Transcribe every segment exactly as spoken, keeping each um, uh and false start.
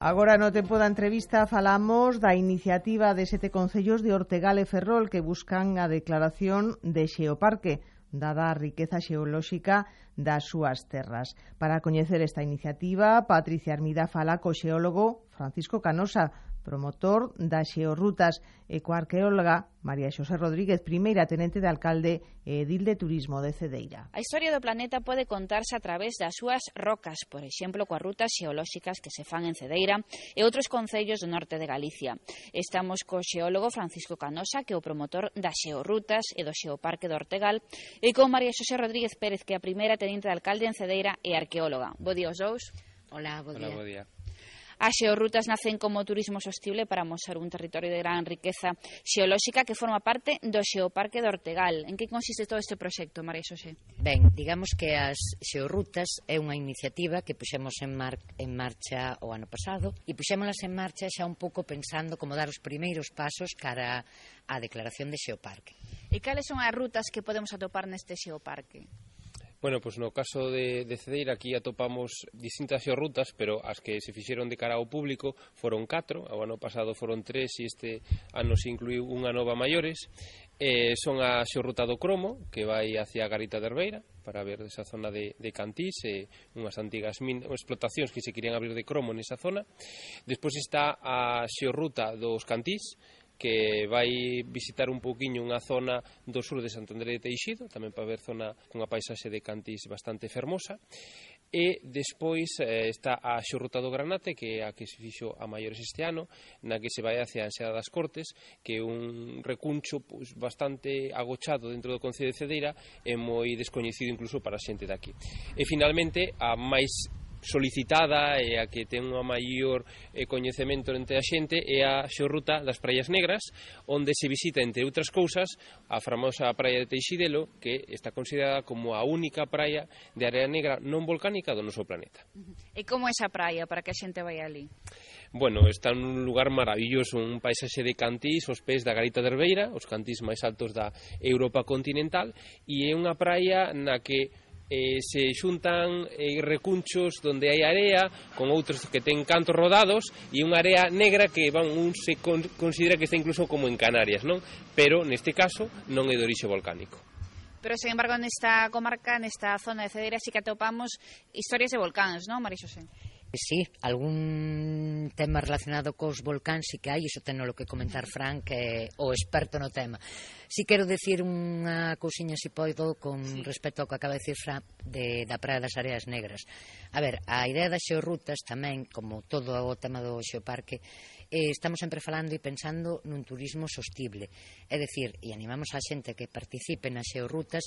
Agora no tempo da entrevista falamos da iniciativa de sete concellos de Ortegal e Ferrol que buscan a declaración de xeoparque, dada a riqueza xeolóxica das súas terras. Para coñecer esta iniciativa, Patricia Armida fala co xeólogo Francisco Canosa, promotor das xeorrutas, e coa arqueóloga María Xosé Rodríguez, primeira tenente de alcalde e edil de turismo de Cedeira. A historia do planeta pode contarse a través das súas rocas, por exemplo, coas rutas xeolóxicas que se fan en Cedeira e outros concellos do norte de Galicia. Estamos co xeólogo Francisco Canosa, que é o promotor das xeorrutas e do xeoparque do Ortegal, e con María Xosé Rodríguez Pérez, que é a primeira tenente de alcalde en Cedeira e arqueóloga. Bo día aos dous. Hola, bo día. Hola, bo día. As xeorrutas nacen como turismo sostible para mostrar un territorio de gran riqueza xeolóxica que forma parte do xeoparque do Ortegal. En que consiste todo este proxecto, María Xosé? Ben, digamos que as xeorrutas é unha iniciativa que puxemos en, mar en marcha o ano pasado e puxémolas en marcha xa un pouco pensando como dar os primeiros pasos cara á declaración de xeoparque. E cales son as rutas que podemos atopar neste xeoparque? Bueno, pois no caso de, de Cedeira aquí atopamos distintas xeorrutas, pero as que se fixeron de cara ao público foron catro, o ano pasado foron tres e este ano se incluiu unha nova maiores. Eh, son a xeorruta do Cromo, que vai hacia a Garita de Herbeira, para ver esa zona de, de Cantís, e unhas antigas min, explotacións que se querían abrir de cromo nesa zona. Despois está a xeorruta dos Cantís, que vai visitar un pouquiño unha zona do sur de Santo André de Teixido, tamén para ver zona cunha paisaxe de Cantís bastante fermosa. E despois eh, está a xeorruta do Granate, que é a que se fixo a maiores este ano, na que se vai hacia a Anxada das Cortes, que é un recuncho pois, bastante agochado dentro do concello de Cedeira e moi descoñecido incluso para a xente daqui. E finalmente a máis solicitada e a que ten unha maior eh, coñecemento entre a xente é a xeorruta das Praias Negras, onde se visita, entre outras cousas, a famosa praia de Teixidelo, que está considerada como a única praia de area negra non volcánica do noso planeta. E como é esa praia para que a xente vai ali? Bueno, está nun lugar maravilloso, un paisaxe de Cantís, os pés da Garita de Herbeira, os Cantís máis altos da Europa continental, e é unha praia na que Eh, se xuntan eh, recunchos donde hai area con outros que ten cantos rodados e unha area negra que van, un se con, considera que está incluso como en Canarias, non? Pero neste caso non é de orixe volcánico. Pero, sen embargo, nesta comarca, nesta zona de Cedeira, sí que atopamos historias de volcáns, non, María Xosé? Sí, algún tema relacionado cos volcáns sí que hai, iso tenlo que comentar Fran, que é o experto no tema. Si quero decir unha cousiña, se podo, con sí. respecto ao que acaba de decir Fran de, da Praia das Areas Negras. A ver, a idea das xeorrutas tamén, como todo o tema do xeoparque, eh, estamos sempre falando e pensando nun turismo sostible. É dicir, e animamos a xente que participe nas xeorrutas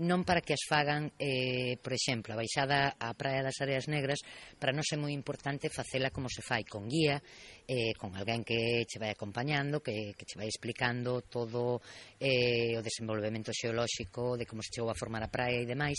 non para que as fagan, eh, por exemplo, a baixada á Praia das Areas Negras, para non ser moi importante facela como se fai, con guía, eh, con alguén que che vai acompañando, que, que che vai explicando todo eh, o desenvolvemento xeolóxico, de como se chegou a formar a praia e demais,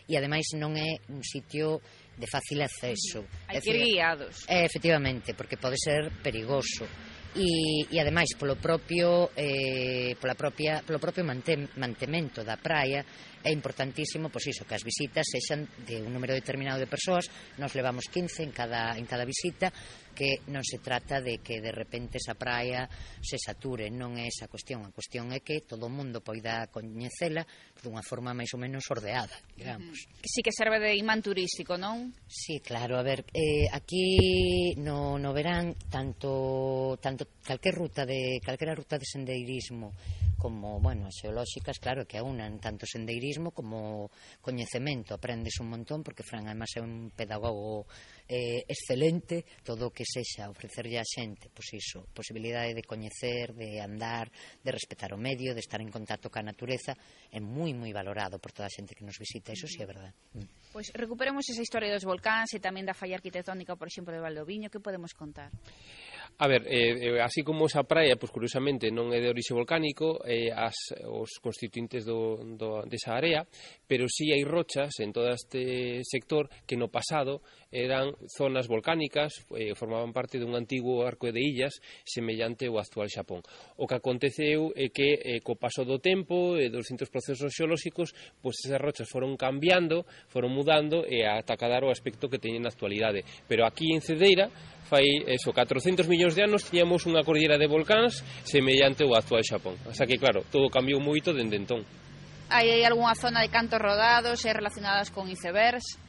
e ademais non é un sitio de fácil acceso. Hai que ir guiados. É, efectivamente, porque pode ser perigoso. E, e ademais polo propio eh, pola propia, polo propio mantem, mantemento da praia é importantísimo, pois iso, que as visitas sexan de un número determinado de persoas. Nos levamos quince en cada, en cada visita, que non se trata de que de repente esa praia se sature, non é esa cuestión. A cuestión é que todo o mundo poida coñecela dunha forma máis ou menos ordeada, digamos. Que sí que serve de imán turístico, non? Sí, claro, a ver, eh, aquí no, no verán tanto, tanto calquer ruta de calquera ruta de sendeirismo como, bueno, as xeolóxicas, claro, que aunan tanto sendeirismo como coñecemento. Aprendes un montón, porque Fran, además, é un pedagogo eh, excelente. Todo o que sexa ofrecerlle a xente, pois iso, posibilidade de coñecer, de andar, de respetar o medio, de estar en contacto ca natureza, é moi, moi valorado por toda a xente que nos visita, iso sí é verdade. Mm. Pois recuperemos esa historia dos volcáns e tamén da falla arquitectónica, por exemplo, de Valdoviño. Que podemos contar? A ver, eh, así como esa praia, pois curiosamente non é de orixe volcánico, eh, as, os constituintes do, do, desa área, pero sí hai rochas en todo este sector que no pasado eran zonas volcánicas, eh, formaban parte dun antigo arco de illas semellante ao actual Xapón. O que aconteceu é que eh, co paso do tempo e dos distintos procesos xeolóxicos, pois esas rochas foron cambiando, foron mudando e ata cadar o aspecto que teñen na actualidade. Pero aquí en Cedeira, fai eso, catrocentos millóns de anos, tiñamos unha cordillera de volcáns semellante ao actual Xapón. O sea que, claro, todo cambiou moito dende entón. Hai algunha zona de cantos rodados e relacionadas con icebergs?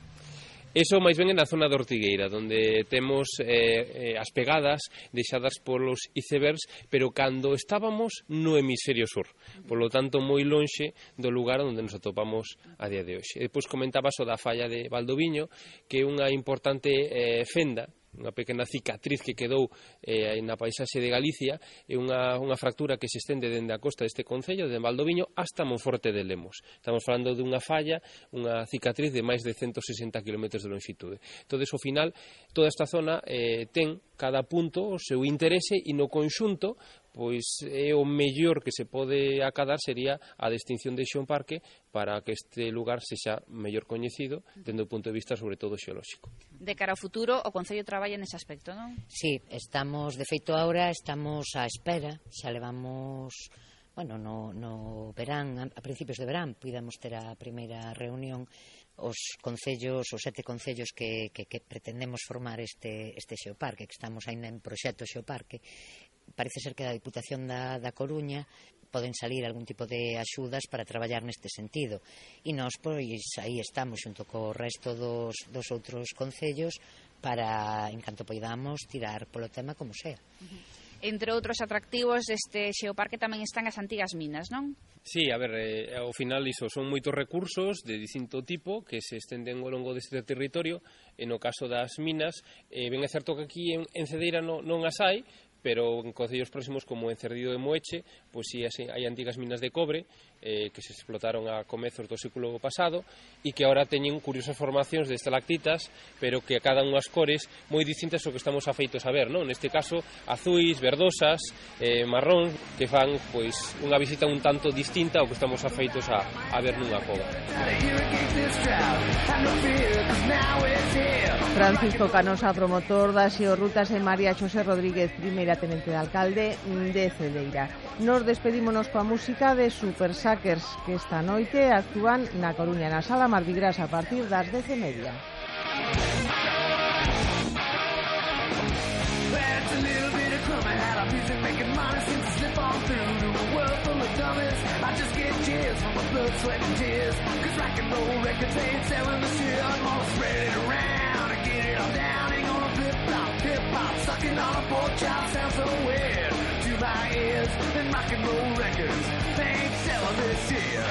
Eso máis ben é na zona de Ortigueira, onde temos eh, eh, as pegadas deixadas polos icebergs, pero cando estábamos no hemisferio sur, polo tanto moi lonxe do lugar onde nos atopamos a día de hoxe. E depois comentaba o da falla de Valdoviño, que é unha importante eh, fenda, unha pequena cicatriz que quedou eh, na paisaxe de Galicia, é unha, unha fractura que se estende dende a costa deste concello, de Valdoviño, hasta Monforte de Lemos. Estamos falando dunha falla, unha cicatriz de máis de ciento sesenta kilómetros de longitude. Entón, ao final, toda esta zona eh, ten cada punto o seu interese e no conxunto, pois é o mellor que se pode acadar sería a distinción de Xeoparque para que este lugar sexa mellor coñecido dende o punto de vista sobre todo xeolóxico. De cara ao futuro, o Concello traballa nese aspecto, non? Sí, estamos, de feito, ahora estamos á espera, xa levamos, bueno, no, no verán, a principios de verán, puidamos ter a primeira reunión os concellos, os sete concellos que, que, que pretendemos formar este, este xeoparque, que estamos ainda en proxecto xeoparque. Parece ser que da Diputación da, da Coruña poden salir algún tipo de axudas para traballar neste sentido. E nós, pois, aí estamos xunto co resto dos, dos outros concellos para, en canto poidamos, tirar polo tema como sea. Uh-huh. Entre outros atractivos deste xeoparque tamén están as antigas minas, non? Sí, a ver, eh, ao final iso son moitos recursos de distinto tipo que se estenden ao longo deste territorio. E no caso das minas, eh, ben é certo que aquí en, en Cedeira no, non as hai, pero en concellos próximos como en Cerdido de Moeche, pois si sí, hai antigas minas de cobre eh, que se explotaron a comezos do século pasado e que agora teñen curiosas formacións de estalactitas, pero que acadan unhas cores moi distintas ao que estamos afeitos a ver, non? Neste caso, azuis, verdosas, eh, marróns, que fan pois unha visita un tanto distinta ao que estamos afeitos a, a ver nunha cova. Francisco Canosa, promotor das xeorrutas, e María Xosé Rodríguez, primeira tenente de alcalde de Cedeira. Nos despedímonos coa música de Super Suckers, que esta noite actúan na Coruña, na Sala Mardi Gras, a partir das dez e media. Sucking on a pork chop sounds so weird to my ears. And rock and roll records ain't selling this year.